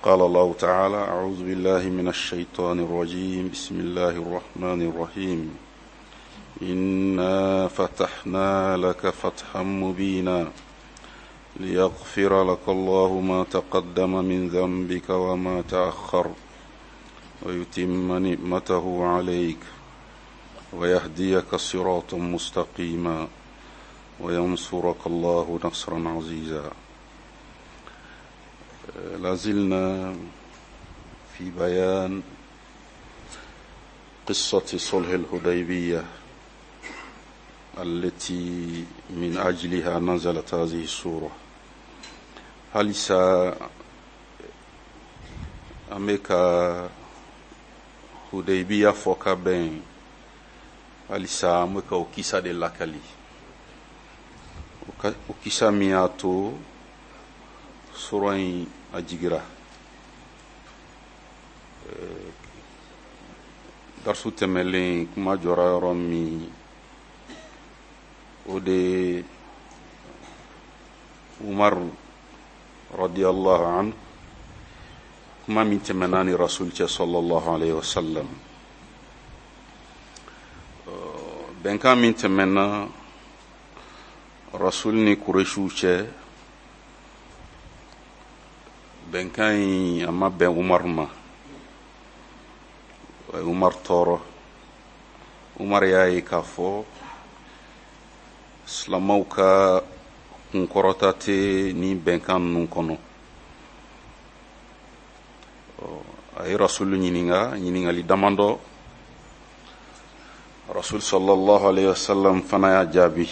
قال الله تعالى أعوذ بالله من الشيطان الرجيم بسم الله الرحمن الرحيم إنا فتحنا لك فتحا مبينا ليغفر لك الله ما تقدم من ذنبك وما تأخر ويتم نعمته عليك ويهديك صراطا مستقيما وينصرك الله نصرا عزيزا لازلنا في بيان قصة صلح الحديبية التي من أجلها نزلت هذه السورة halisa an bɛ ka hudaybiya fɔ ka bɛn halisa an bɛ ka o kisa de lakali o kisa min y'a to sura in a jigira darisu tɛmɛlen kuma jɔra yɔrɔ min o de ye umaru radiyallahu anhu kuma min tɛmɛna ni rasul cɛ sallallahu alaihi wasallam bɛnkan min tɛmɛna rasul ni kuresiw cɛ bɛnkan in a ma bɛn umaru ma a ye umaru tɔɔrɔ umaru y'a ye k'a fɔ silamaw ka kunkɔrɔta tɛ nin bɛnkan ninnu kɔnɔ a ye rasulu ɲininka ɲininkali damadɔ rasul sallallahu alaihi wasallam fana y'a jaabi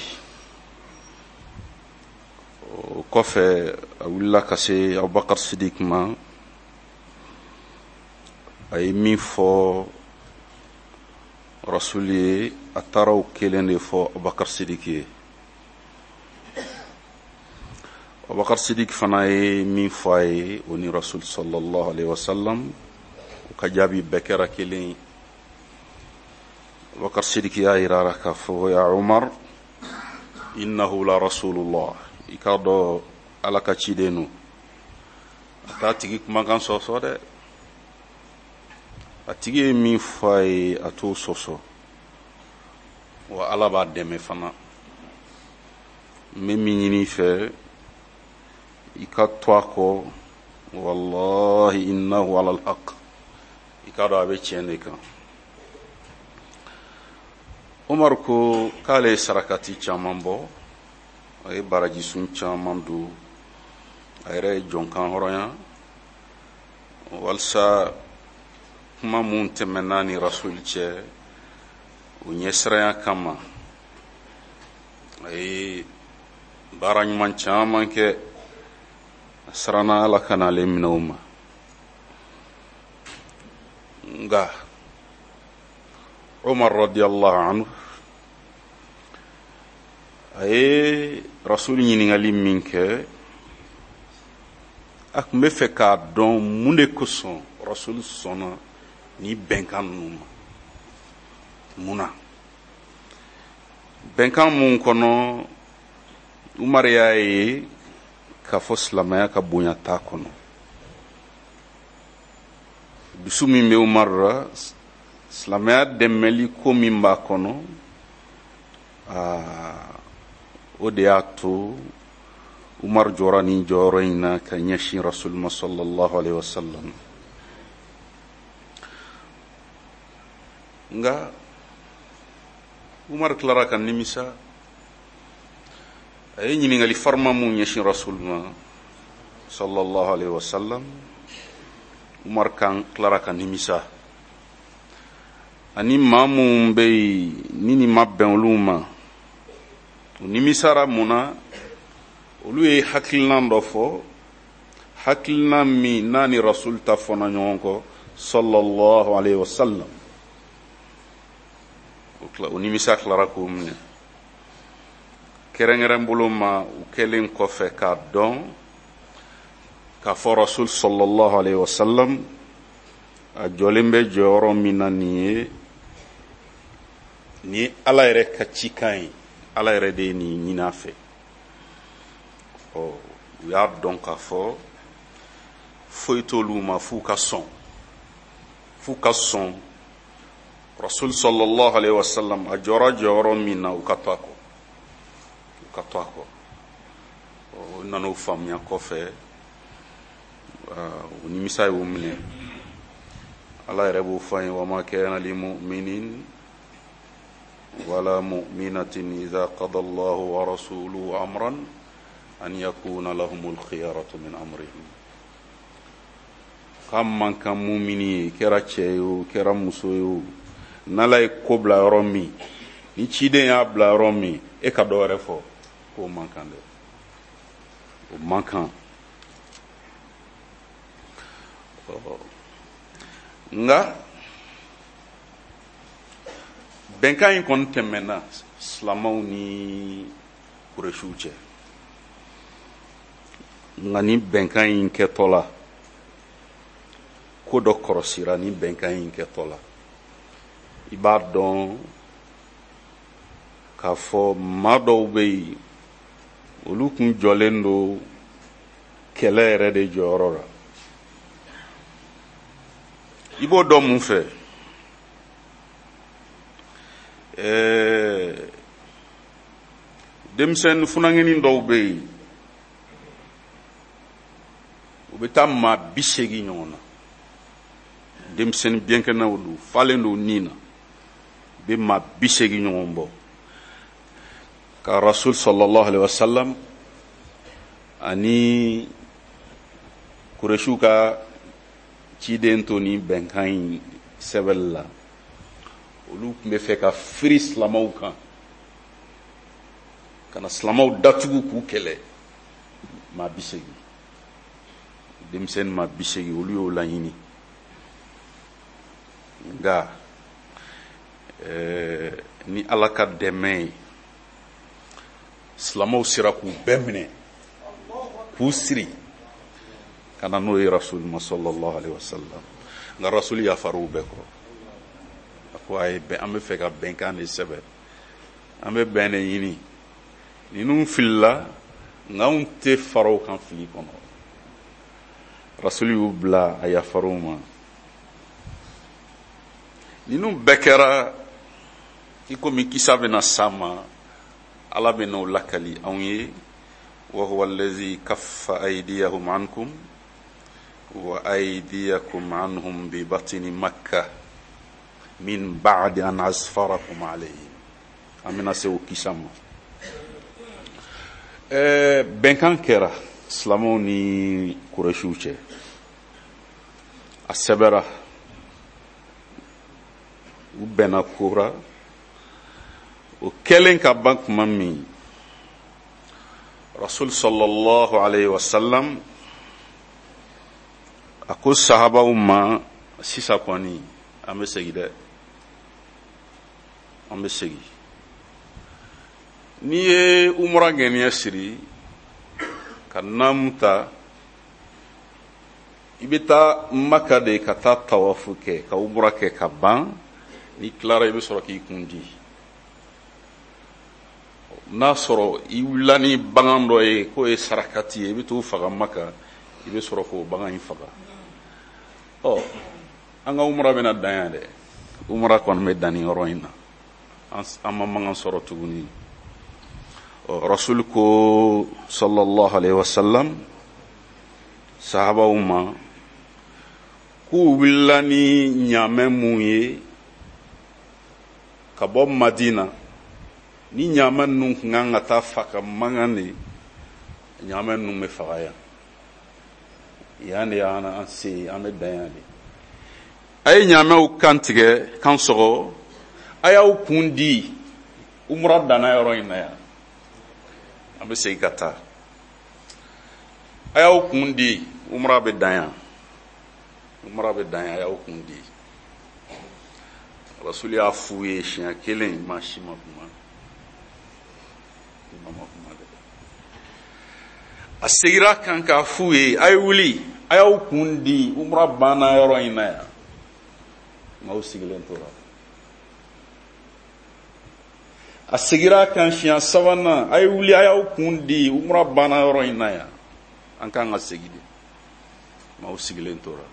o kɔfɛ a wulila ka se abubakar sidik ma a ye min fɔ rasul ye a taara o kelen de fɔ abubakar sidik ye abubakar sidik fana ye min fɔ a ye o ni rasul sallallahu alaihi wasallam u ka jaabi bɛɛ kɛra kelen ye abubakar sidik y'a yira a la k'a fɔ ya umar innahu la rasulullah i k'a dɔn ala ka ciden don a t'a tigi kumakan sɔsɔ dɛ a tigi ye min fɔ a ye a t'o sɔsɔ wa ala b'a dɛmɛ fana n bɛ min ɲini i fɛ i ka to a kɔ wallahi innahu ala alhaq i k'a dɔn a bɛ tiɲɛ de kan umaru ko k'ale ye sarakati caman bɔ a ye barajisun caman don a yɛrɛ ye jɔn kanhɔrɔnya walisa kuma mun tɛmɛna ni rasul cɛ o ɲɛsiranya kama a ye baara ɲuman caman kɛ a siranna ala kana ale minɛ o ma nka umar radiyallahu anhu a ye rasul ɲininkali min kɛ a tun bɛ fɛ k'a dɔn mun de kosɔn rasul sɔnna ni bɛnkan ninnu ma mun na bɛnkan mun kɔnɔ umar y'a ye k'a fɔ silamɛya ka bonya t'a kɔnɔ dusu min bɛ umar la silamɛya dɛmɛli ko min b'a kɔnɔ o de y'a to umar jɔra nin jɔyɔrɔ in na ka ɲɛsin rasul ma sallallahu alaihi wasallam nka umar tilara ka nimisa a ye ɲininkali farima mun ɲɛsin rasul ma sallallahu alaihi wasallam umar kan tilara ka nimisa ani maa minnu bɛ yen ni nin ma bɛn olu ma u nimisara mun na olu ye hakilinan dɔ fɔ hakilinan min n'a ni rasul ta fɔna ɲɔgɔn kɔ sallallahu alaihi wasallam o nimisa tilara k'o minɛ kɛrɛnkɛrɛn bolo ma u kɛlen kɔfɛ k'a dɔn k'a fɔ rasul sallallahu alaihi wasallam a jɔlen bɛ jɔyɔrɔ min na nin ye nin ye ala yɛrɛ ka cikan ye ala yɛrɛ de ye nin ɲini a fɛ ɔ u y'a dɔn k'a fɔ Foyi t'olu ma f'u ka sɔn, f'u ka sɔn Rasul sallallahu alaihi wasallam a jɔra jɔyɔrɔ min na, u ka to a kɔ, u ka to a kɔ. O nan'o faamuya kɔfɛ, o nimisa y'o minɛ. Ala yɛrɛ b'o fɔ an ye: wama kana li mu'minin wala mu'minatin idha qada Allahu wa rasuluhu amran an yakuna lahumul khiyaratu min amrihim. K'a man kan mumini ye, i kɛra cɛ ye o, i kɛra muso ye o, n'Ala ye ko bila yɔrɔ min, ni ciden y'a bila yɔrɔ min, e ka dɔ wɛrɛ fɔ, k'o man kan dɛ, o man kan. Nka bɛnkan in kɔni tɛmɛna silamɛw ni Kuresiw cɛ. Nka ni bɛnkan in kɛtɔ la, ko dɔ kɔrɔsira. Ni bɛnkan in kɛtɔ la, i b'a dɔn k'a fɔ maa dɔw bɛ yen, olu kun jɔlen don kɛlɛ yɛrɛ de jɔyɔrɔ la. I b'o dɔn mun fɛ? Denmisɛnnin funankɛnin dɔw bɛ yen, u bɛ taa maa 80 ɲɔgɔn na. Denmisɛnnin biɲɛkɛnɛw don, falen don nin na, u bɛ maa 80 ɲɔgɔn bɔ ka Rasul sallallahu alaihi wasallam ani Kuresiw ka ciden to nin bɛnkan in sɛbɛnni la. Olu tun bɛ fɛ ka firi silamɛw kan, ka na silamɛw datugu k'u kɛlɛ. Maa 80, denmisɛnnin maa 80, olu y'o laɲini. Nka ni Ala ka dɛmɛ ye, silamɛw sera k'u bɛɛ minɛ, k'u siri ka na n'o ye Rasul ma sallallahu alaihi wasallam. Nka Rasul yafar'u bɛɛ kɔrɔ. A ko a ye bɛn, an bɛ fɛ ka bɛnkan de sɛbɛn, an bɛ bɛn de ɲini. Ninnu filila, nka anw tɛ fara u kan fili kɔnɔ. Rasul y'u bila, a yafar'u ma. Ninnu bɛɛ kɛra i komi kisa bɛna s'a ma, Ala bɛ n'o lakali anw ye: wa huwa allazi kaffa aydiyahum ankum wa aydiyakum anhum bi batni Makkah min ba'di an asfarakum alayhim. An bɛna se o kisa ma. Bɛnkan kɛra silamɛw ni Kuresiw cɛ, a sɛbɛra, u bɛnna ko ra. O kɛlen ka ban tuma min, Rasul sallallahu alaihi wasallam a ko sahabaw ma: sisan kɔni an bɛ segin dɛ, an bɛ segin. N'i ye umura ŋaniya siri ka naamu ta, i bɛ taa Maka de ka taa tawafu kɛ, ka umura kɛ ka ban. N'i tilara, i bɛ sɔrɔ k'i kun di. N'a sɔrɔ i wulila ni bagan dɔ ye k'o ye sarakati ye, i bɛ t'o faga Maka, i bɛ sɔrɔ k'o bagan in faga. Ɔ, an ka umura bɛna dan yan dɛ, umura kɔni bɛ dan nin yɔrɔ in na, an ma mankan sɔrɔ tuguni. Ɔ, Rasul ko sallallahu alaihi wasallam sahabaw ma k'u wulila ni ɲaamɛ mun ye ka bɔ Madina, ni ɲaamɛ ninnu tun kan ka taa faga mankan de, ɲaamɛ ninnu bɛ faga yan, yan de y'an an se, an bɛ dan yan de. A ye ɲaamɛw kan tigɛ, kan sɔgɔ, a y'aw kun di, umura danna yɔrɔ in na yan, an bɛ segin ka taa. A y'aw kun di, umura bɛ dan yan, umura bɛ dan yan, a y'aw kun di. Rasuli y'a f'u ye siɲɛ kelen, maa si ma kuma, maa ma kuma dɛ. A segira kan k'a f'u ye: a ye wuli, a y'aw kun di, umura banna yɔrɔ in na yan. Nka sigilen tora. A segira kan siɲɛ sabanan: a ye wuli, a y'aw kun di, umura banna yɔrɔ in na yan, an kan ka segin de. Maaw sigilen tora,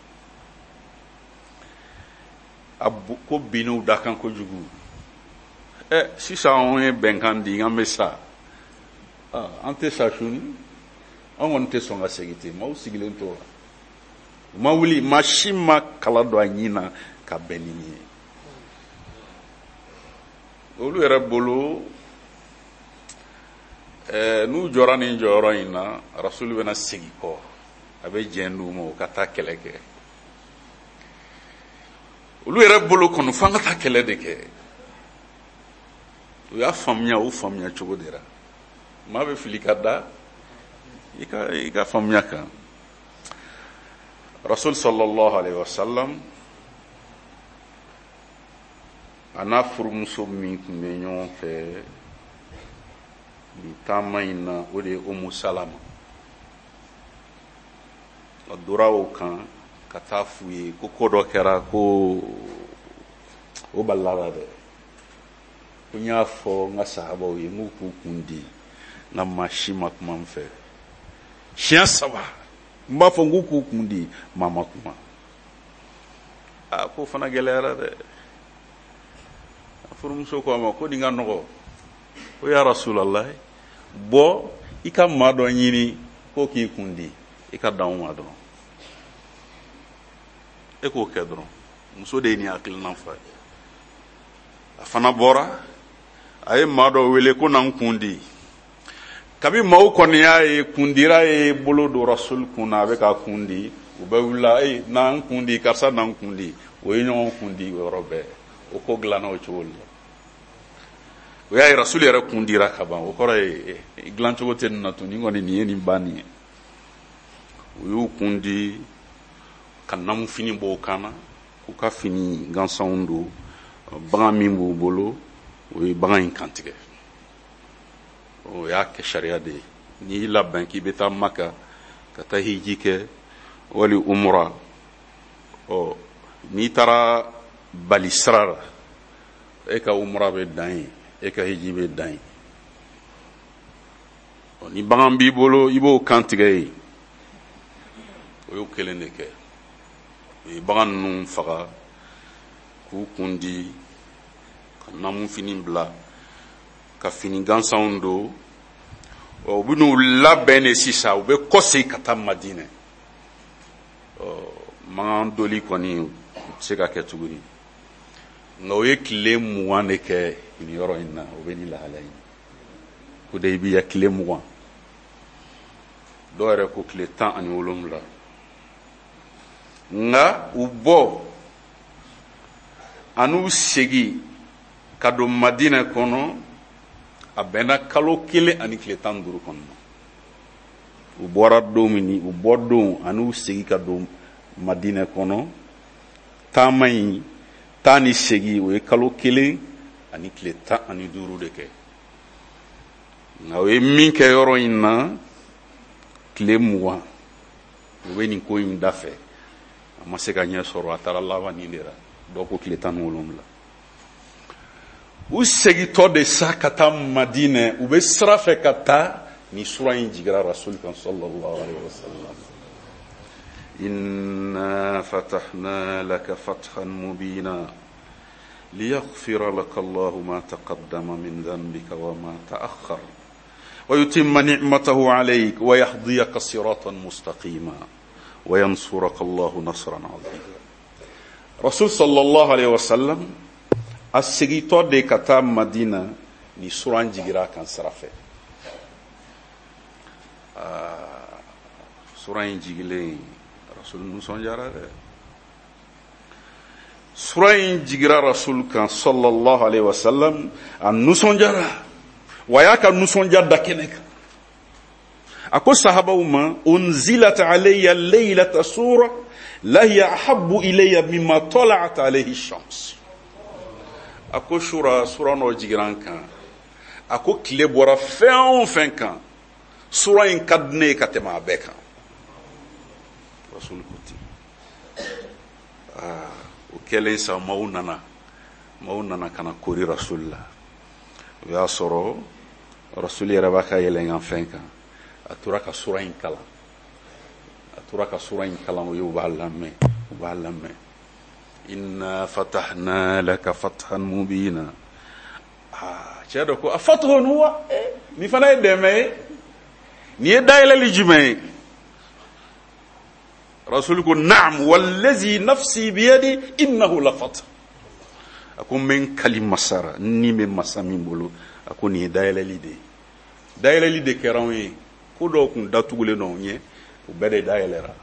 a ko binn'u da kan kojugu. Ɛ, sisan anw ye bɛnkan di, an bɛ sa, an tɛ sa suni, an kɔni tɛ sɔn ka segin ten. Maaw sigilen tora, u ma wuli, maa si ma kala don a ɲin na ka bɛn ni nin ye. Olu yɛrɛ bolo, n'u jɔra nin jɔyɔrɔ in na, Rasulu bɛna segin kɔ, a bɛ jɛn d'u ma u ka taa kɛlɛ kɛ. Olu yɛrɛ bolo kɔni, f'an ka taa kɛlɛ de kɛ. U y'a faamuya u faamuya cogo de la. Maa bɛ fili ka da i ka faamuya kan. Rasul sallallahu alaihi wasallam, a n'a furumuso min tun bɛ ɲɔgɔn fɛ nin taama in na, o de ye Umu Salama. A dora o kan ka taa f'u ye ko ko dɔ kɛra, ko o balila la dɛ, ko n y'a fɔ n ka sahabaw ye n k'u k'u kun di, nka maa si ma kuma n fɛ. Siɲɛ saba n b'a fɔ n k'u k'u kun di, maa ma kuma. Aa, k'o fana gɛlɛyara dɛ. A furumuso ko a ma ko nin ka nɔgɔ o, ya Rasulallah, bɔ i ka maa dɔ ɲini k'o k'i kun di, i ka dan o ma dɔrɔn, e k'o kɛ dɔrɔn. Muso de ye nin hakilina fɔ a ye. A fana bɔra, a ye maa dɔ wele ko na n kun di. Kabi maaw kɔni y'a ye kundira ye bolo don Rasul kun na, a bɛ k'a kun di, u bɛ wulila: e na n kun di, karisa na n kun di. O ye ɲɔgɔn kun di o yɔrɔ bɛɛ. O ko dilanna o cogo la. O y'a ye Rasul yɛrɛ kun dira ka ban, o kɔrɔ ye dilancogo tɛ nin na tun, nin kɔni nin ye nin ban nin ye. U y'u kun di ka namufini bɔ u kan na, k'u ka fini gansanw don. Bagan min b'u bolo, o ye bagan in kantigɛ. O y'a kɛ sariya de ye: n'i y'i labɛn k'i bɛ taa Maka ka taa hiji kɛ wali umura, ɔ n'i taara bali sira la, e ka umura bɛ dan yen, e ka hiji bɛ dan yen. Ɔ ni bagan b'i bolo, i b'o kantigɛ yen. O y'o kelen de kɛ. U ye bagan ninnu faga k'u kun di, ka namufini bila, ka fini gansanw don. Ɔ, u bɛn'u labɛn de sisan, u bɛ kɔsegin ka taa Madinɛ. Ɔ, magan doli kɔni u tɛ se ka kɛ tuguni, nka u ye tile 20 de kɛ nin yɔrɔ in na. O bɛ nin lahala in Hudaybiya, tile 20, dɔw yɛrɛ ko tile 17. Nka u bɔ an'u segin ka don Madinɛ kɔnɔ, a bɛnna kalo 1 ani tile 15 kɔnɔ. U bɔra don min, u bɔ don an'u segin ka don Madinɛ kɔnɔ, taama in taa ni segin, o ye kalo 1 ani tile 15 de kɛ. Nka o ye min kɛ yɔrɔ in na, tile 20, u bɛ nin ko in da fɛ, a ma se ka ɲɛ sɔrɔ, a taara laban nin de la. Dɔw ko tile 17. U segintɔ de sa ka taa Madinɛ, u bɛ sira fɛ ka taa, ni sura in jigira Rasul kan sallallahu alaihi wasallam: inna fatahna laka fathan mubina liyaghfira laka Allahu ma taqaddama min dhanbika wa ma ta'akhkhar wa yutimma ni'matahu alayk wa yahdiyaka siratan mustaqima wa yansuraka Allahu nasran azima. Rasul sallallahu alaihi wasallam a segintɔ de ka taa Madina, ni suran jigira kan sira fɛ. Sura in jigilen, Rasul nisɔndiyara dɛ. Sura in jigira Rasul kan sallallahu alaihi wasallam, a nisɔndiyara wa, a y'a ka nisɔndiya da kɛnɛ kan. A ko sahabaw ma: unzilat alayya laylata sura la hiya ahabbu ilayya mimma tala'at alayhi shams. A ko sura dɔ jigira n kan, a ko tile bɔra fɛn o fɛn kan, sura in ka di ne ye ka tɛmɛ a bɛɛ kan. Rasul ko ten. Aa, o kɛlen sa, maaw nana ka na kori Rasul la. O y'a sɔrɔ Rasul yɛrɛ b'a ka yɛlɛnkanfɛn kan, a tora ka sura in kalan. A tora ka sura in kalan u ye, u b'a lamɛn, u b'a lamɛn. Inna fatahna laka fathan mubina. Aa, cɛ dɔ ko a fathun huwa, nin fana ye dɛmɛ ye, nin ye dayɛlɛli jumɛn ye? Rasuli ko naam wallazi nafsi biyadi innahu la fath. A ko n bɛ n kali masa ra, n ni bɛ masa min bolo, a ko nin ye dayɛlɛli de ye. Dayɛlɛli de kɛra anw ye, ko dɔw kun datugulen don anw ɲɛ, o bɛɛ de dayɛlɛra.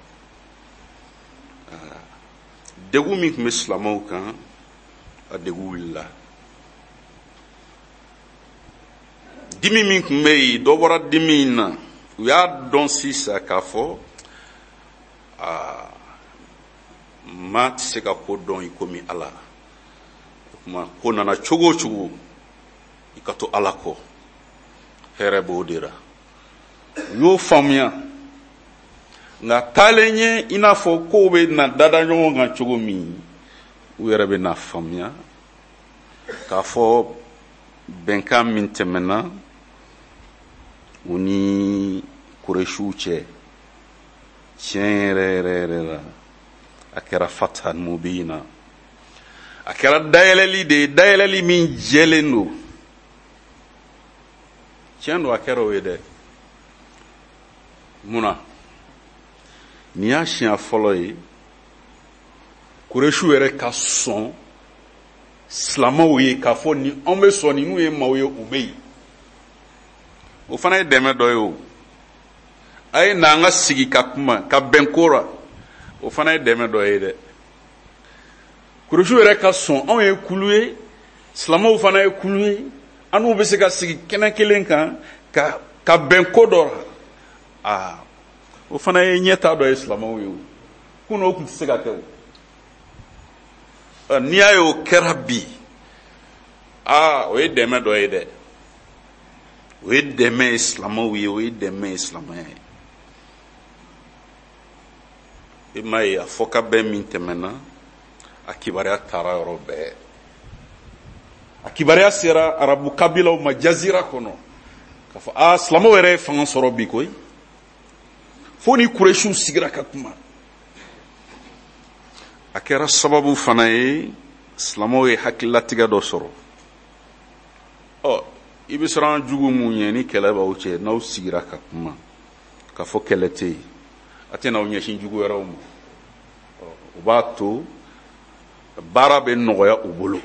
Degun min tun bɛ silamɛw kan, a degun wulila. Dimi min tun bɛ yen, dɔ bɔra dimi in na. U y'a dɔn sisan k'a fɔ aa, maa tɛ se ka ko dɔn i komi Ala. O tuma ko nana cogo o cogo, i ka to Ala kɔ, hɛrɛ b'o de la. U y'o faamuya. Nka taalen ɲɛ, i n'a fɔ kow bɛ na dada ɲɔgɔn kan cogo min, u yɛrɛ bɛ na faamuya k'a fɔ bɛnkan min tɛmɛna u ni Kuresiw cɛ, tiɲɛ yɛrɛ yɛrɛ yɛrɛ la, a kɛra fathan mubina, a kɛra dayɛlɛli de ye, dayɛlɛli min jɛlen don. Tiɲɛ don, a kɛra o ye dɛ. Mun na? Nin y'a siɲɛ fɔlɔ ye Kuresiw yɛrɛ ka sɔn silamɛw ye k'a fɔ ni anw bɛ sɔn ninnu ye maaw ye, u bɛ yen. O fana ye dɛmɛ dɔ ye o. A ye na an ka sigi ka kuma ka bɛn ko la, o fana ye dɛmɛ dɔ ye dɛ. Kuresiw yɛrɛ ka sɔn anw ye kulu ye, silamɛw fana ye kulu ye, an n'u bɛ se ka sigi kɛnɛ kelen kan ka bɛn ko dɔ la. Aa, o fana ye ɲɛta dɔ ye silamɛw ye o. Kunun o tun tɛ se ka kɛ o. N'i y'a ye o kɛra bi, aa, o ye dɛmɛ dɔ ye dɛ. O ye dɛmɛ ye silamɛw ye, o ye dɛmɛ ye silamɛya ye. I m'a ye a fɔ ka bɛn min tɛmɛna, a kibaruya taara yɔrɔ bɛɛ. A kibaruya sera arabu kabilaw ma jazira kɔnɔ k'a fɔ aa, silamɛw yɛrɛ ye fanga sɔrɔ bi koyi. Fo ni Kuresiw sigira ka kuma. A kɛra sababu fana ye silamɛw ye hakililatigɛ dɔ sɔrɔ. Ɔ, i bɛ siran jugu mun ɲɛ ni kɛlɛ b'aw cɛ, n'aw sigira ka kuma k'a fɔ kɛlɛ tɛ yen, a tɛna aw ɲɛsin jugu wɛrɛw ma. Ɔ, o b'a to baara bɛ nɔgɔya u bolo.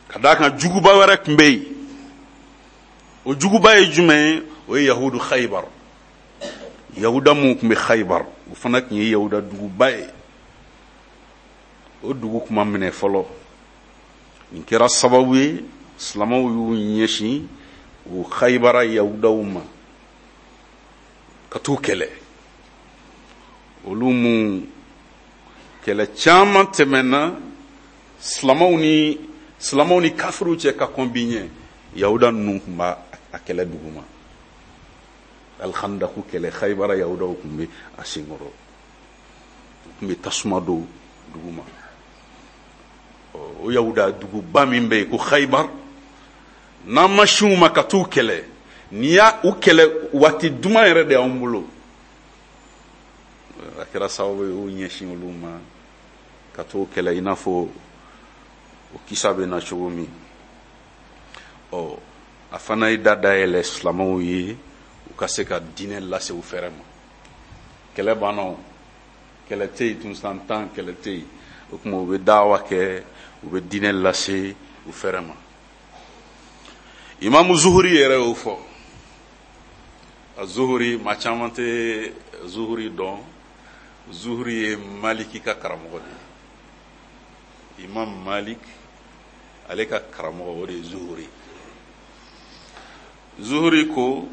Ka d'a kan juguba wɛrɛ tun bɛ yen. O juguba ye jumɛn ye? O ye Yahudu Khaybar. Yahuda minnu tun bɛ Khaybar, o fana tun ye Yahuda duguba ye. O dugu tun ma minɛ fɔlɔ. Nin kɛra sababu ye silamɛw y'u ɲɛsin o Khaybara Yahudaw ma ka t'u kɛlɛ. Olu mun kɛlɛ caman tɛmɛna silamɛw ni kafiriw cɛ ka kɔn bi ɲɛ, Yahuda ninnu tun b'a a kɛlɛ duguma. Alhandaku kɛlɛ, Khaybara Yahudaw tun bɛ a senkɔrɔ, u tun bɛ tasuma don duguma. O Yahuda duguba min bɛ yen ko Khaybar, n'an ma sin u ma ka t'u kɛlɛ, n'i y'a u kɛlɛ waati duman yɛrɛ de y'anw bolo. A kɛra sababu ye u ɲɛsin olu ma ka t'o kɛlɛ, i n'a fɔ o kisa bɛ na cogo min. Ɔ, a fana ye da dayɛlɛ silamɛw ye u ka se ka diinɛ lase u fɛrɛ ma. Kɛlɛ banna o, kɛlɛ tɛ yen tun, san 10 kɛlɛ tɛ yen. O tuma u bɛ dawa kɛ, u bɛ diinɛ lase u fɛrɛ ma. Imamu Zuhuri yɛrɛ y'o fɔ. A Zuhuri, maa caman tɛ Zuhuri dɔn. Zuhuri ye Maliki ka karamɔgɔ de ye. Imam Malik ale ka karamɔgɔ o de ye Zuhuri. Zuhuri ko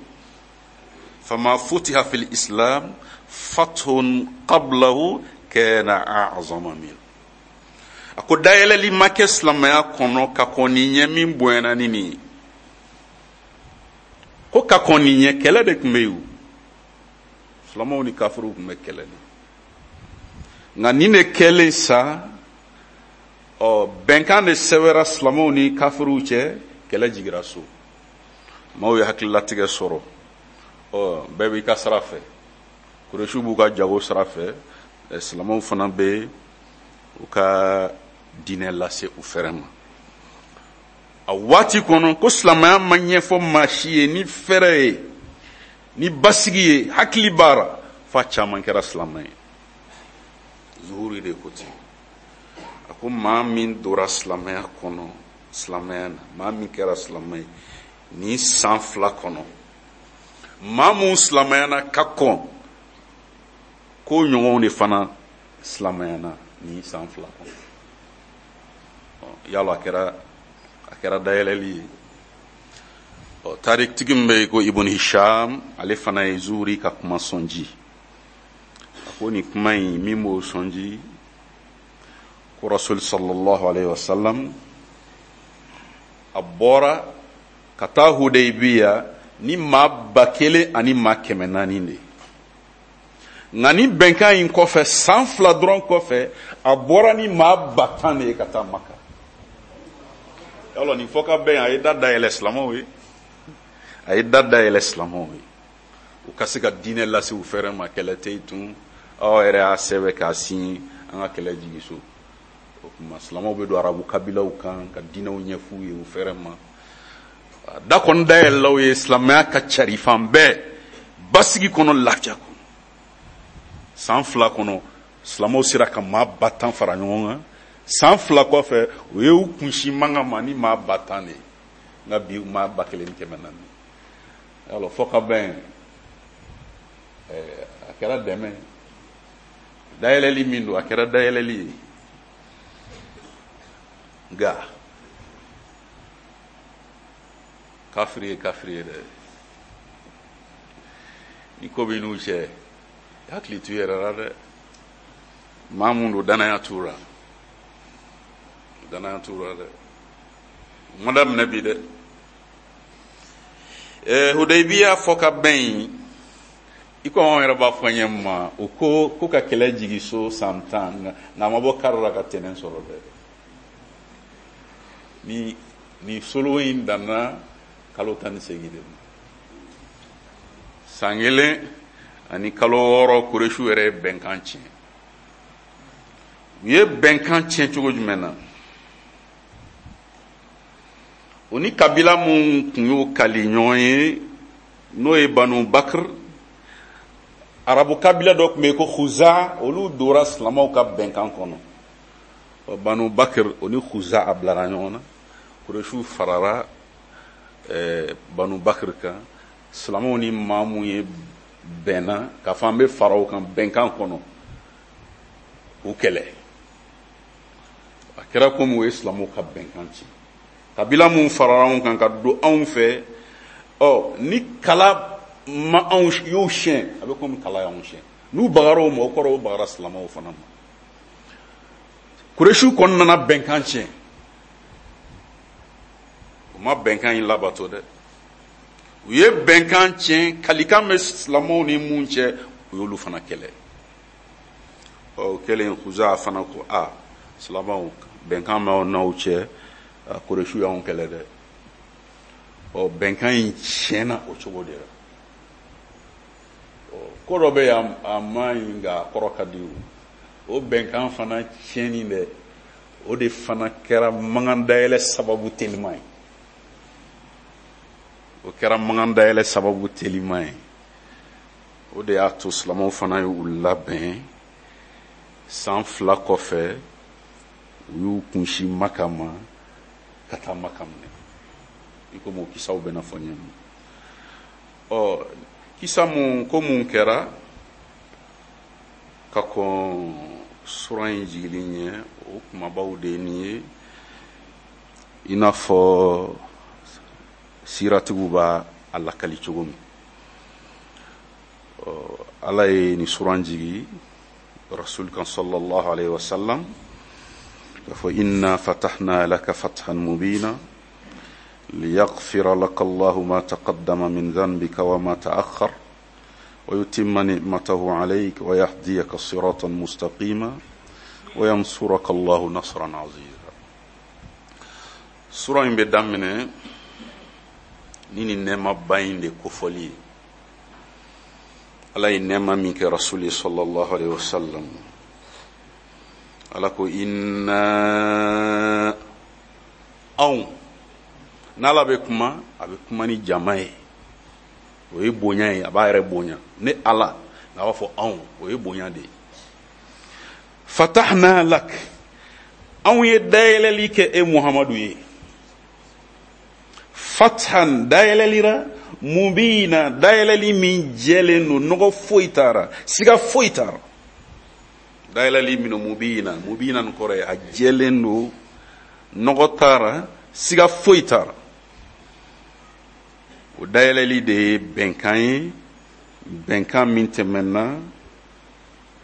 fama futiha fil islam fathun qablahu kana a'zama min. A ko dayɛlɛli ma kɛ silamɛya kɔnɔ ka kɔn nin ɲɛ min bonyana ni nin ye. Ko ka kɔn nin ɲɛ kɛlɛ de tun bɛ yen o. Silamɛw ni kafiriw tun bɛ kɛlɛ de. Nka nin de kɛlen sa, ɔ, bɛnkan de sɛbɛra silamɛw ni kafiriw cɛ, kɛlɛ jigira so. Maaw ye hakililatigɛ sɔrɔ. Ɔ, bɛɛ b'i ka sira fɛ. Kuresiw b'u ka jago sira fɛ, silamɛw fana bɛ u ka diinɛ lase u fɛrɛ ma. A waati kɔnɔ ko silamɛya ma ɲɛfɔ maa si ye ni fɛrɛ ye, ni basigi ye, hakili b'a f'a caman kɛra silamɛ ye. Zuhuri de ko ten. A ko maa min dora silamɛya kɔnɔ, silamɛya na, maa min kɛra silamɛ ye nin san 2 kɔnɔ, maa mun silamɛyana ka kɔn, k'o ɲɔgɔnw de fana silamɛyana nin san 2 kɔnɔ. Yala a kɛra dayɛlɛli ye. Tarikitigi min bɛ yen ko Ibn Hisham, ale fana ye Zuhuri ka kuma sɔnji. A ko nin kuma in min b'o sɔnji, ko Rasul sallallahu alaihi wasallam a bɔra ka taa Hudaybiya ni maa 1000 ani maa 400 de ye. Nka ni bɛnkan in kɔfɛ, san 2 dɔrɔn kɔfɛ, a bɔra ni maa 10,000 de ye ka taa Maka. Yalɔ nin fɔ ka bɛn, a ye da dayɛlɛ silamɛw ye, a ye da dayɛlɛ silamɛw ye, u ka se ka diinɛ lase u fɛrɛ ma. Kɛlɛ tɛ yen tun, aw yɛrɛ y'a sɛbɛn k'a signé, an ka kɛlɛ jigin so. O tuma silamɛw bɛ don arabu kabilaw kan ka diinɛw ɲɛf'u ye u fɛrɛ ma. Da kɔni dayɛlɛlaw ye, silamɛya ka cari fan bɛɛ, basigi kɔnɔ, lafiya kɔnɔ. San 2 kɔnɔ, silamɛw sera ka maa 10,000 fara ɲɔgɔn kan. San 2 kɔfɛ, u ye u kunsin Maka ma ni maa 10,000 de ye, nka bi maa 1400. Yalɔ fɔ ka bɛn, a kɛra dɛmɛ ye. Dayɛlɛli min don, a kɛra dayɛlɛli ye. Nka kafiri ye kafiri ye dɛ. Ni ko b'i n'u cɛ, i hakili t'u yɛrɛ la dɛ. Maa mun don, danaya t'u la, danaya t'u la dɛ. U ma daminɛ bi dɛ. Hudaybiya fɔ ka bɛn in, i ko anw yɛrɛ b'a fɔ ɲɛ ma, u ko ko ka kɛlɛ jigin so san 10, nka a ma bɔ kari la ka tɛnɛn sɔrɔ dɛ. Ni solo in danna kalo 18 de ma, san 1 ani kalo 6, Kuresiw yɛrɛ ye bɛnkan tiɲɛ. U ye bɛnkan tiɲɛ cogo jumɛn na? U ni kabila mun tun y'u kali ɲɔgɔn ye, n'o ye Banu Bakr, arabu kabila dɔ tun bɛ yen ko Khuza, olu dora silamɛw ka bɛnkan kɔnɔ. Banu Bakr o ni Khuza a bilara ɲɔgɔn na. Kuresiw farara Banu Bakr kan. Silamɛw ni maa mun ye bɛnna k'a fɔ an bɛ fara o kan bɛnkan kɔnɔ, u kɛlɛ. A kɛra komi u ye silamɛw ka bɛnkan ci. Kabila mun farara anw kan ka don anw fɛ, ni kala ma anw y'u siɲɛ, a bɛ komi kala y'anw siɲɛ. N'u bagara o ma, o kɔrɔ o bagara silamɛw fana ma. Kuresiw kɔni nana bɛnkan tiɲɛ. U ma bɛnkan in labato dɛ. U ye bɛnkan tiɲɛ, kalikan bɛ silamɛw ni mun cɛ, u y'olu fana kɛlɛ. O kɛlen, Khuza fana ko, a silamɛw, bɛnkan b'aw n'aw cɛ, Kuresiw y'anw kɛlɛ dɛ. Bɛnkan in tiɲɛna o cogo de la. Ko dɔ bɛ yen, a man ɲi, nka a kɔrɔ ka di o. O bɛnkan fana tiɲɛni dɛ, o de fana kɛra mankan dayɛlɛ sababu teliman ye. O kɛra mankan dayɛlɛ sababu teliman ye. O de y'a to silamɛw fana y'u labɛn. San 2 kɔfɛ, u y'u kunsin Maka ma ka taa Maka minɛ, i komi o kisaw bɛna fɔ ɲɛ ma. Kisa mun ko mun kɛra ka kɔn sura in jigili ɲɛ, o kumabaw de ye nin ye, i n'a fɔ siratigiw b'a a lakali cogo min. Ala ye nin suran jigi rasul kan sallallahu alaihi wasallam k'a fɔ inna fatahna laka fathan mubina liyaghfira laka Allahu ma taqaddama min dhanbika wa ma ta'akhkhar wa yutimma ni'matahu alayka wa yahdiyaka siratan mustaqima wa yansuraka Allahu nasran aziza. Sura in bɛ daminɛ ni nin nɛɛmaba in de kofɔli ye. Ala ye nɛɛma min kɛ rasuli sallallahu alaihi wasallam, Ala ko inna, anw. N'Ala bɛ kuma, a bɛ kuma ni jama ye, o ye bonya ye, a b'a yɛrɛ bonya. Ne Ala nka a b'a fɔ anw, o ye bonya de ye. Fatahna lak, anw ye dayɛlɛli kɛ e Muhamadu ye. Fathan, dayɛlɛlira, mubina, dayɛlɛli min jɛlen don, nɔgɔ foyi t'a ra, siga foyi t'a ra. Dayɛlɛli min mubina, mubina nin kɔrɔ ye a jɛlen don, nɔgɔ t'a ra, siga foyi t'a ra. O dayɛlɛli de ye bɛnkan ye, bɛnkan min tɛmɛna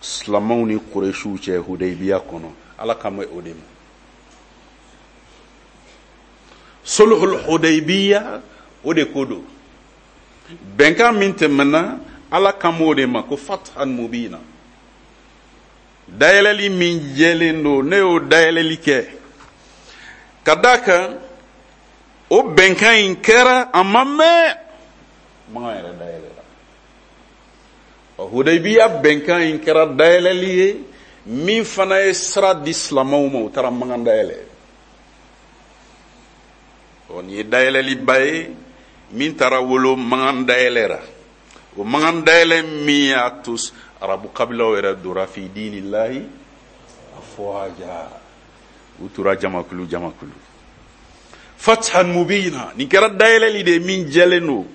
silamɛw ni kuresiw cɛ Hudaybiya kɔnɔ. Ala kan bɛ o de ma, sulhul Hudaybiya, o de ko don. Bɛnkan min tɛmɛna, Ala kan b'o de ma ko fathan mubina, dayɛlɛli min jɛlen don. Ne y'o dayɛlɛli kɛ ka d'a kan o bɛnkan in kɛra, a ma mɛn Makan yɛrɛ dayɛlɛla. Ɔ, Hudaybiya bɛnkan in kɛra dayɛlɛli ye min fana ye sira di silamɛw ma, u taara Makan dayɛlɛ. Ɔ, nin ye dayɛlɛliba ye min taara wolo Makan dayɛlɛ ra. O Makan dayɛlɛ min y'a to arabu kabilaw yɛrɛ dora fi dinillahi afwaja, u tora jamakulu jamakulu. Fathan mubina, nin kɛra dayɛlɛli de ye min jɛlen don.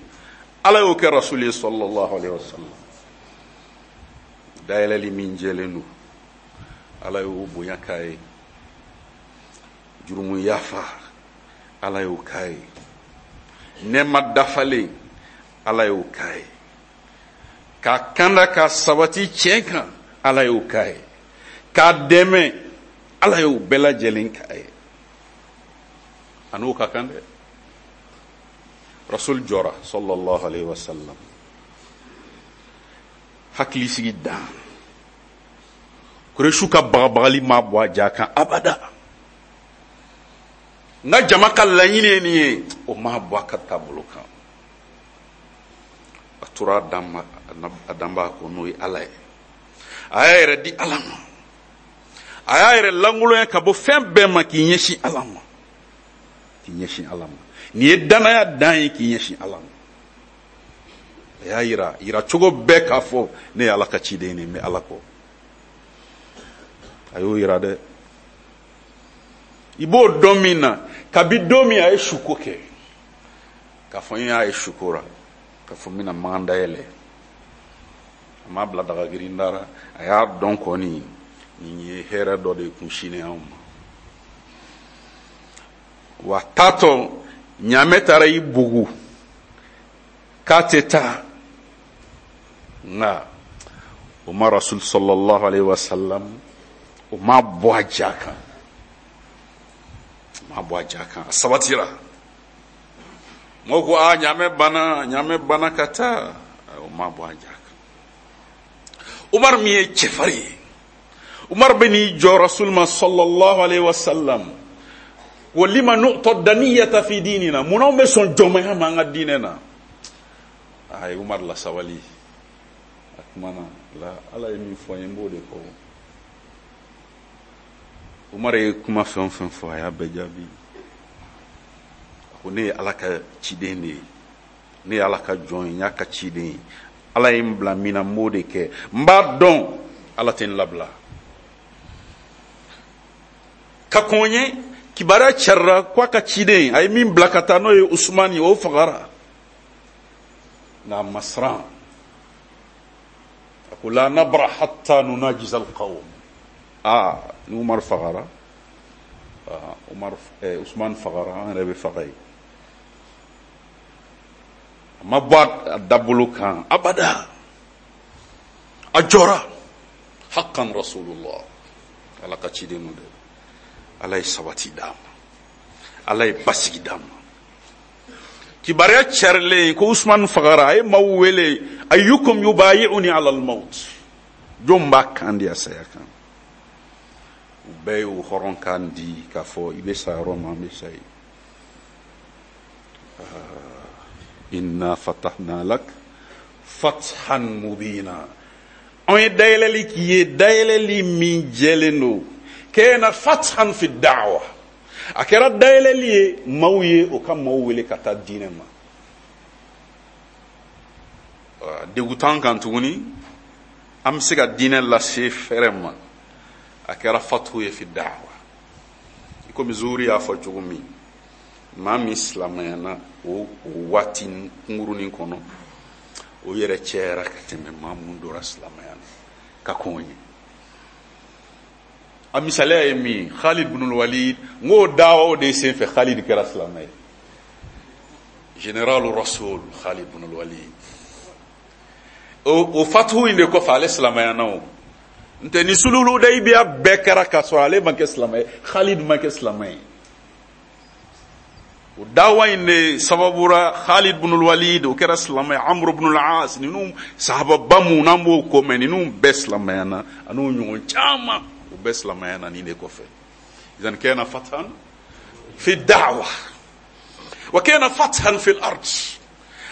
Ala y'o kɛ rasuli ye sallallahu alaihi wasallam. Dayɛlɛli min jɛlen don, Ala y'o bonya k'a ye. Jurumu yafa, Ala y'o k'a ye. Nɛɛma dafalen, Ala y'o k'a ye. K'a kanda k'a sabati tiɲɛ kan, Ala y'o k'a ye. K'a dɛmɛ, Ala y'o bɛɛ lajɛlen k'a ye. A n'o ka kan dɛ. Rasul jɔra sallallahu alaihi wasallam, hakilisigi dan. Kuresu ka bagabagali ma bɔ a ja kan abada. N ka jama ka laɲini ye nin ye, o ma bɔ a ka taabolo kan. A tora a danbaa kɔ, n'o ye Ala ye. A y'a yɛrɛ di Ala ma, a y'a yɛrɛ lankolonya ka bɔ fɛn bɛɛ ma k'i ɲɛsin Ala ma, k'i ɲɛsin Ala ma. Nin ye danaya dan ye, k'i ɲɛsin Ala ma. A y'a yira yira cogo bɛɛ k'a fɔ ne ye Ala ka ciden ye, n bɛ Ala kɔ. A y'o yira dɛ. I b'o dɔn min na, kabi don min a ye suko kɛ, k'a fɔ n y'a ye suko ra, k'a fɔ n bɛna Makan dayɛlɛ, a m'a bila daga girinda ra. A y'a dɔn kɔni nin ye hɛrɛ dɔ de kunsinnen anw ma. Wa taatɔ ɲaamɛ taara i bugu k'a tɛ taa, nka o ma rasul sallallahu alaihi wasallam, o ma bɔ a ja kan, o ma bɔ a ja kan, a sabatira. Mɔgɔw ko aa, ɲaamɛ banna, ɲaamɛ banna ka taa, o ma bɔ a ja kan. Umar min ye cɛfarin ye, Umar bɛ n'i jɔ rasul ma sallallahu alaihi wasallam, wa lima nu'ta daniyata fi dinina, mun anw bɛ sɔn jɔnmaya ma an ka diinɛ na? A ye Umar lasabali, a kumana la, Ala ye min fɔ n ye, n b'o de fɔ. Umar ye kuma fɛn o fɛn fɔ, a y'a bɛɛ jaabi. A ko ne ye Ala ka ciden de ye, ne ye Ala ka jɔn ye, n y'a ka ciden ye. Ala ye n bila min na, n b'o de kɛ. N b'a dɔn Ala tɛ n labila. Ka kɔn ɲɛ, kibaruya carila ko a ka ciden a ye min bila ka taa, n'o ye Usumani, o fagara. Nka a ma siran. A ko la nabra hatta nunajiza alqawm. Aa, ni Umar fagara, Umar Usman fagara, an yɛrɛ bɛ faga yen. A ma bɔ a dabolo kan abada, a jɔra haqqan rasulullah. Ala ka ciden don dɛ. Ala ye sabati d'a ma, Ala ye basigi d'a ma. Kibaruya carilen ko Usman fagara, a ye maaw wele, ayyukum yubayi'uni ala al-maut, jɔn b'a kan di a saya kan? U bɛɛ y'u hɔrɔn kan di k'a fɔ i bɛ sa yɔrɔ min, an bɛ sa yen. Inna fatahna lak Fathan mubina, an ye dayɛlɛli k'i ye, dayɛlɛli min jɛlen don. Kana fathan fi da'wa, a kɛra dayɛlɛli ye maaw ye, o ka maaw wele ka taa diinɛ ma. Degun t'an kan tuguni, an bɛ se ka diinɛ lase fɛrɛ ma. A kɛra fatu ye fi da'wa, i komi Zuhuri y'a fɔ cogo min, maa min silamayana o waati kunkurunin kɔnɔ, o yɛrɛ cɛyara ka tɛmɛ maa mun dora silamaya na ka kɔn o ɲɛ. A misaliya ye min ye, Khalid ibn Walid, n k'o dawa o de senfɛ Khalid kɛra silamɛ ye. Général Rasoul Khalid ibn Walid, o fatuhu in de kɔfɛ ale silamayana. O n tɛ ni sulhul Hudaybiya bɛɛ kɛra k'a sɔrɔ ale ma kɛ silamɛ ye, Khalid ma kɛ silamɛ ye. O dawa in de sababu ra Khalid ibn Walid o kɛra silamɛ ye, Amr ibn al-As, ninnu sahababa mun n'an b'o ko mɛn, ninnu bɛɛ silamɛyana, an'o ɲɔgɔn caman, o bɛɛ silamɛyana nin de kɔfɛ. Idan kana fathan fi da'wa wa kana fathan fi al-ard,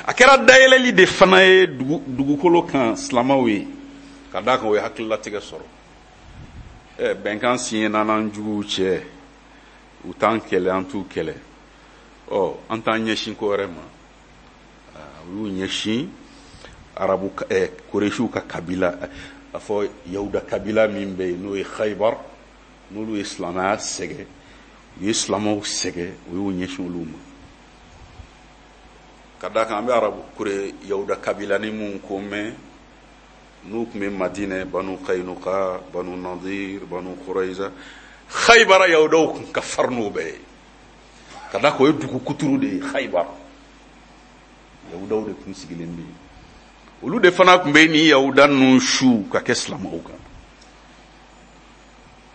a kɛra dayɛlɛli de fana ye dugukolo kan silamɛw ye, ka d'a kan o ye hakililatigɛ sɔrɔ. Bɛnkan siɲɛ n'an juguw cɛ, u t'an kɛlɛ, an t'u kɛlɛ, ɔ an t'an ɲɛsin ko wɛrɛ ma. U y'u ɲɛsin arabu Kuresiw ka kabila, a fɔ Yahuda kabila min bɛ yen n'o ye Khaybar, n'olu ye silamɛya sɛgɛn, u ye silamɛw sɛgɛn, u y'u ɲɛsin olu ma. Ka d'a kan an bɛ arabu kure Yahuda kabila ni mun ko mɛn, n'u tun bɛ Madinɛ, Banu Kainuka, Banu Nadir, Banu Kuraiza, Khaybara Yahudaw tun ka farin n'o bɛɛ ye, ka d'a kan o ye dugu kuturu de ye. Khaybar Yahudaw de tun sigilen bɛ yen, olu de fana tun bɛ nin Yahuda ninnu su ka kɛ silamɛw kan.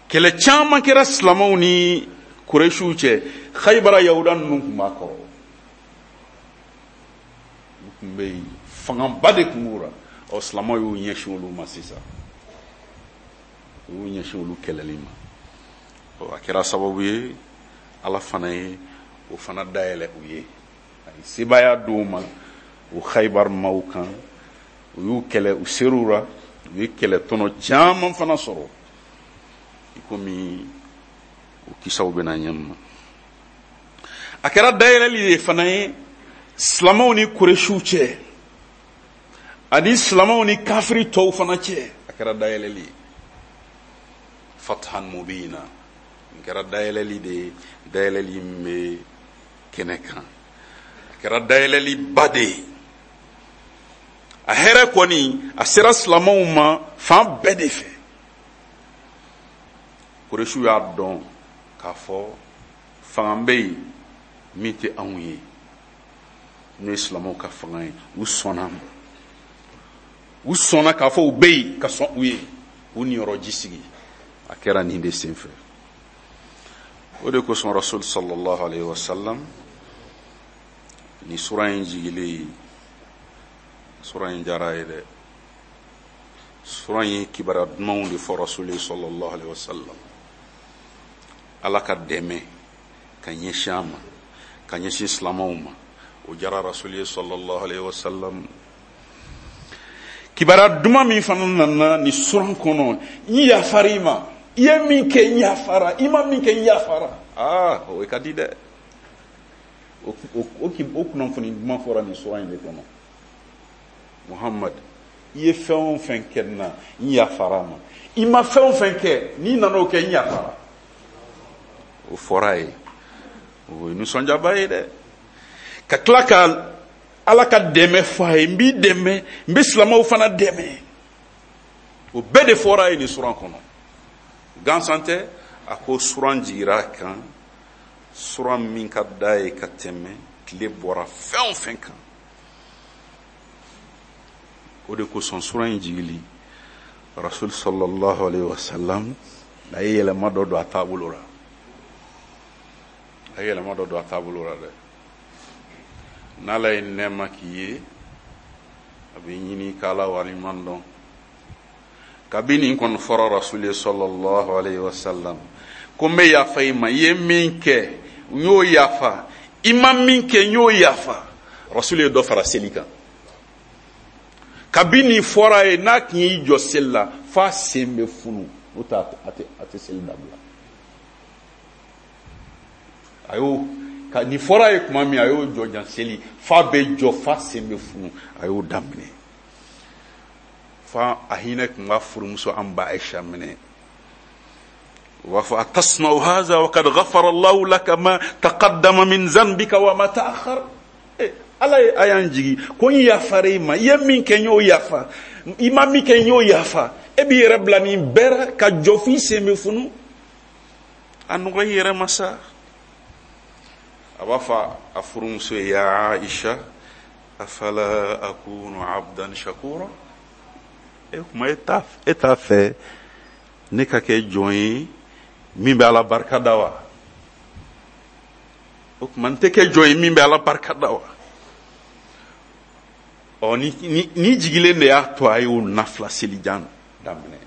Kɛlɛ caman kɛra silamɛw ni Kuresiw cɛ, Khaybara Yahuda ninnu tun b'a kɔrɔ, u tun bɛ yen, fangaba de tun b'u la. Ɔ silamɛw y'u ɲɛsin olu ma sisan, u y'u ɲɛsin olu kɛlɛli ma. Ɔ a kɛra sababu ye Ala fana ye o fana dayɛlɛ u ye, a ye sebaaya d'u ma o Khaybar maaw kan. U y'u kɛlɛ, u ser'u ra, u ye kɛlɛ tɔnɔ caman fana sɔrɔ, i komi o kisaw bɛna ɲɛ ma. A kɛra dayɛlɛli de fana ye silamɛw ni Kuresiw cɛ, ani silamɛw ni kafiri tɔw fana cɛ, a kɛra dayɛlɛli ye. Fathan mubina, nin kɛra dayɛlɛli de ye, dayɛlɛli min bɛ kɛnɛ kan, a kɛra dayɛlɛliba de ye. A hɛrɛ kɔni a sera silamɛw ma fan bɛɛ de fɛ. Kuresiw y'a dɔn k'a fɔ fanga bɛ yen min tɛ anw ye, n'o ye silamɛw ka fanga ye. U sɔnna ma, u sɔnna k'a fɔ u bɛ yen ka sɔn u ye, k'u niyɔrɔ ji sigi. A kɛra nin de senfɛ. O de kosɔn Rasul sallallahu alaihi wasallam, ni sura in jigilen, sura in diyara a ye dɛ. Sura in ye kibaruya dumanw de fɔ Rasul sallallahu alaihi wasallam, Ala ka dɛmɛ ka ɲɛsin a ma, ka ɲɛsin silamɛw ma, o diyara Rasul ye sallallahu alaihi wasallam. Kibaruya duman min fana nana ni suran kɔnɔ, n yafara i ma, i ye min kɛ n yafara, i ma min kɛ n yafara, aa o ka di dɛ. O kunnafoni duman fɔra nin suran in de kɔnɔ. Muhammad, i ye fɛn o fɛn kɛ n na, n yafara a ma, i ma fɛn o fɛn kɛ, n'i nana o kɛ, n yafara. O fɔra a ye, o ye nisɔndiyaba ye dɛ. Ka tila ka Ala ka dɛmɛ fɔ a ye, n b'i dɛmɛ, n bɛ silamɛw fana dɛmɛ, o bɛɛ de fɔra a ye nin suran kɔnɔ. Gansan tɛ, a ko suran jigira a kan, suran min ka d'a ye ka tɛmɛ tile bɔra fɛn o fɛn kan. O de kosɔn suran in jigili, Rasul sallallahu alaihi wasallam a ye yɛlɛma dɔ don a taabolo la, a ye yɛlɛma dɔ don a taabolo la dɛ. N'Ala ye nɛɛma k'i ye, a bɛ ɲini k'Ala waleɲuman dɔn. Kabi nin kɔni fɔra Rasul ye sallallahu alaihi wasallam, ko n bɛ yafa i ma, i ye min kɛ n y'o yafa, i ma min kɛ n y'o yafa. Rasul ye dɔ fara seli kan. Kabi nin fɔra a ye, n'a tun y'i jɔ seli la f'a sen bɛ funu, n'o tɛ a tɛ seli dabila. A y'o ka nin fɔra a ye tuma min, a y'o jɔjan seli f'a bɛ jɔ f'a sen bɛ funu, a y'o daminɛ fa a hinɛ tun b'a furumuso an ba Aisha minɛ. U b'a fɔ: atasna'u haza wa kad ghafara Allahu laka ma taqaddama min zanbika wa ma ta'akhkhar. Ala ye aya in jigi ko n yafara i ma, i ye min kɛ n y'o yafa, i ma min kɛ n y'o yafa, e b'i yɛrɛ bila nin bɛɛ la ka jɔ f'i sen bɛ funu, a nɔgɔ i yɛrɛ ma sa. A b'a fɔ a furumuso ye: ya Aisha, afala akunu abdan shakura? E kuma e t'a fɛ ne ka kɛ jɔn ye min bɛ Ala barika da wa? O tuma n tɛ kɛ jɔn ye min bɛ Ala barika da wa? Ɔ, ni jigilen de y'a to a y'o nafila selijan daminɛ,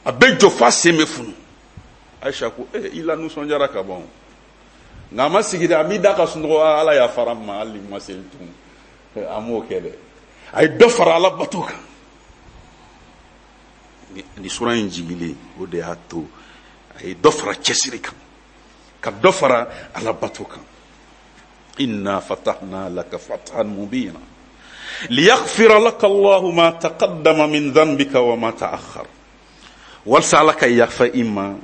a bɛ jɔ f'a sen bɛ funu. Aisha ko: e i la nisɔndiyara ka ban. Nka a ma sigi dɛ, a m'i da ka sunɔgɔ, Ala yafara n ma, hali ni ma seli tun, a m'o kɛ dɛ, a ye dɔ fara Ala bato kan. Ni sura in jigilen, o de y'a to a ye dɔ fara cɛsiri kan, ka dɔ fara Ala bato kan. Inna fatahna laka fathan mubina liyaghfira laka Allahu ma taqaddama min dhanbika wa ma ta'akhkhar. Walasa Ala ka yafa i ma,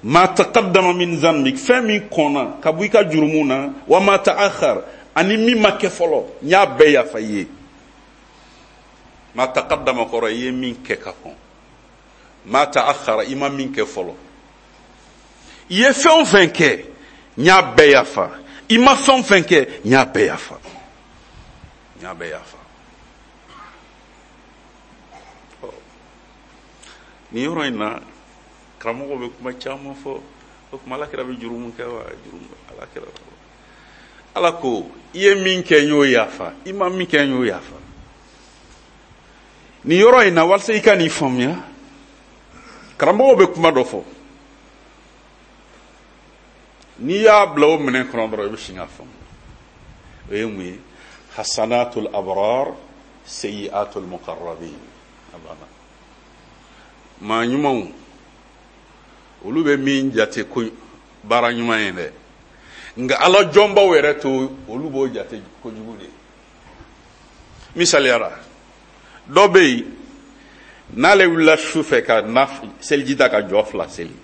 ma taqaddama min dhanbik, fɛn min kɔnna ka bɔ i ka jurumu na, wa ma ta'akhkhar, ani min ma kɛ fɔlɔ, n y'a bɛɛ yafa i ye. Ma taqaddama kɔrɔ i ye min kɛ ka kɔn, ma ta'akhkhara i ma min kɛ fɔlɔ. I ye fɛn o fɛn kɛ, n y'a bɛɛ yafa. I ma fɛn o fɛn kɛ, n y'a bɛɛ yafa, n y'a bɛɛ yafa. Nin yɔrɔ in na, karamɔgɔw bɛ kuma caman fɔ. O tuma Ala kira bɛ jurumu kɛ wa? Jurumu Ala kira, Ala ko i ye min kɛ n y'o yafa, i ma min kɛ n y'o yafa. Nin yɔrɔ in na, walasa i ka nin faamuya, karamɔgɔw bɛ kuma dɔ fɔ. N'i y'a bila o minɛn kɔnɔ dɔrɔn, i bɛ sin k'a faamu. O ye mun ye? Hasanatul abrar sayyi'atul muqarrabin. A banna. Maa ɲumanw, olu bɛ min jate ko baara ɲuman ye dɛ, nka Ala jɔnbaw yɛrɛ to, olu b'o jate kojugu de ye. Misaliyara, dɔ bɛ yen, n'ale wulila su fɛ ka na seliji ta ka jɔ fila seli,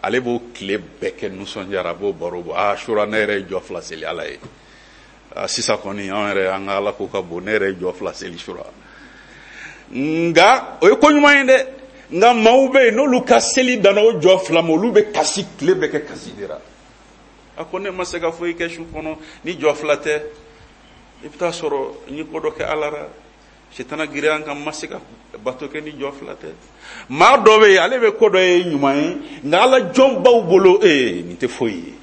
ale b'o tile bɛɛ kɛ nisɔndiyara, a b'o baro bɔ: aa, sura ne yɛrɛ ye jɔ fila seli Ala ye, sisan kɔni anw yɛrɛ an ka Ala ko ka bon, ne yɛrɛ ye jɔ fila seli sura. Nka o ye ko ɲuman ye dɛ. Nka maaw bɛ yen, n'olu ka seli danna o jɔ fila ma, olu bɛ kasi, tile bɛɛ kɛ kasi de la. A ko ne ma se ka foyi kɛ su kɔnɔ ni jɔ fila tɛ. I bɛ taa sɔrɔ n ye ko dɔ kɛ Ala la, sitana girinya n kan, n ma se ka bato kɛ ni jɔ fila tɛ. Maa dɔ bɛ yen, ale bɛ ko dɔ ye ɲuman ye, nka Ala jɔnbaw bolo, ee, nin tɛ foyi ye.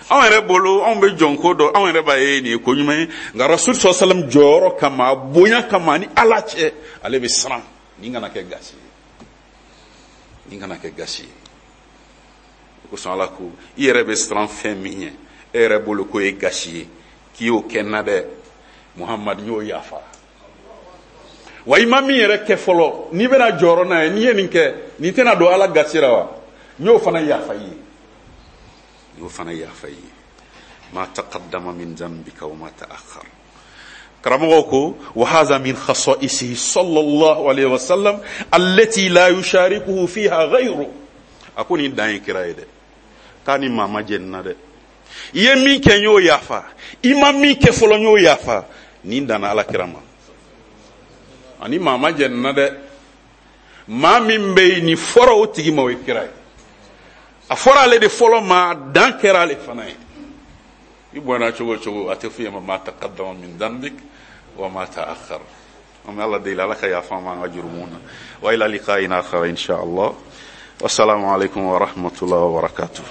Anw yɛrɛ bolo, anw bɛ jɔn ko dɔn, anw yɛrɛ b'a ye nin ye ko ɲuman ye, nka Rasul sallallahu alaihi wasallam jɔyɔrɔ kama, a bonya kama ani Ala cɛ, ale bɛ siran nin kana kɛ gasi ye, nin kana kɛ gasi ye. O kosɔn Ala ko i yɛrɛ bɛ siran fɛn min ɲɛ, e yɛrɛ bolo k'o ye gasi ye, k'i y'o kɛ n na dɛ, Muhamadu, n y'o yafa. Wa i ma min yɛrɛ kɛ fɔlɔ, n'i bɛna jɔyɔrɔ n'a ye, n'i ye nin kɛ, nin tɛna don Ala gasi la wa? N y'o fana yafa i ye, n y'o fana yafa i ye. Ma taqaddama min dhanbika wa ma ta'akhkhar. Karamɔgɔw ko wa hadha min khasa'isihi sallallahu alayhi wa sallam allati la yusharikuhu fiha ghayru. A ko nin dan ye kira ye dɛ, k'a ni maa ma jɛn na dɛ. I ye min kɛ n y'o yafa, i ma min kɛ fɔlɔ n y'o yafa. Nin danna Ala kira ma, ani maa ma jɛn na dɛ. Maa min bɛ yen, nin fɔra o tigi ma, o ye kira ye. A fɔra ale de fɔlɔ ma, dan kɛra ale fana ye. I bɔnna cogo o cogo, a tɛ f'i ma ma taqaddama min dhanbik wa ma ta'akhkhar. An bɛ Ala deli, Ala ka yafa an ma an ka jurumu na. Wa ila liqa'in akhar insha Allah. Wassalamu alaikum wa rahmatullahi wa barakatuh.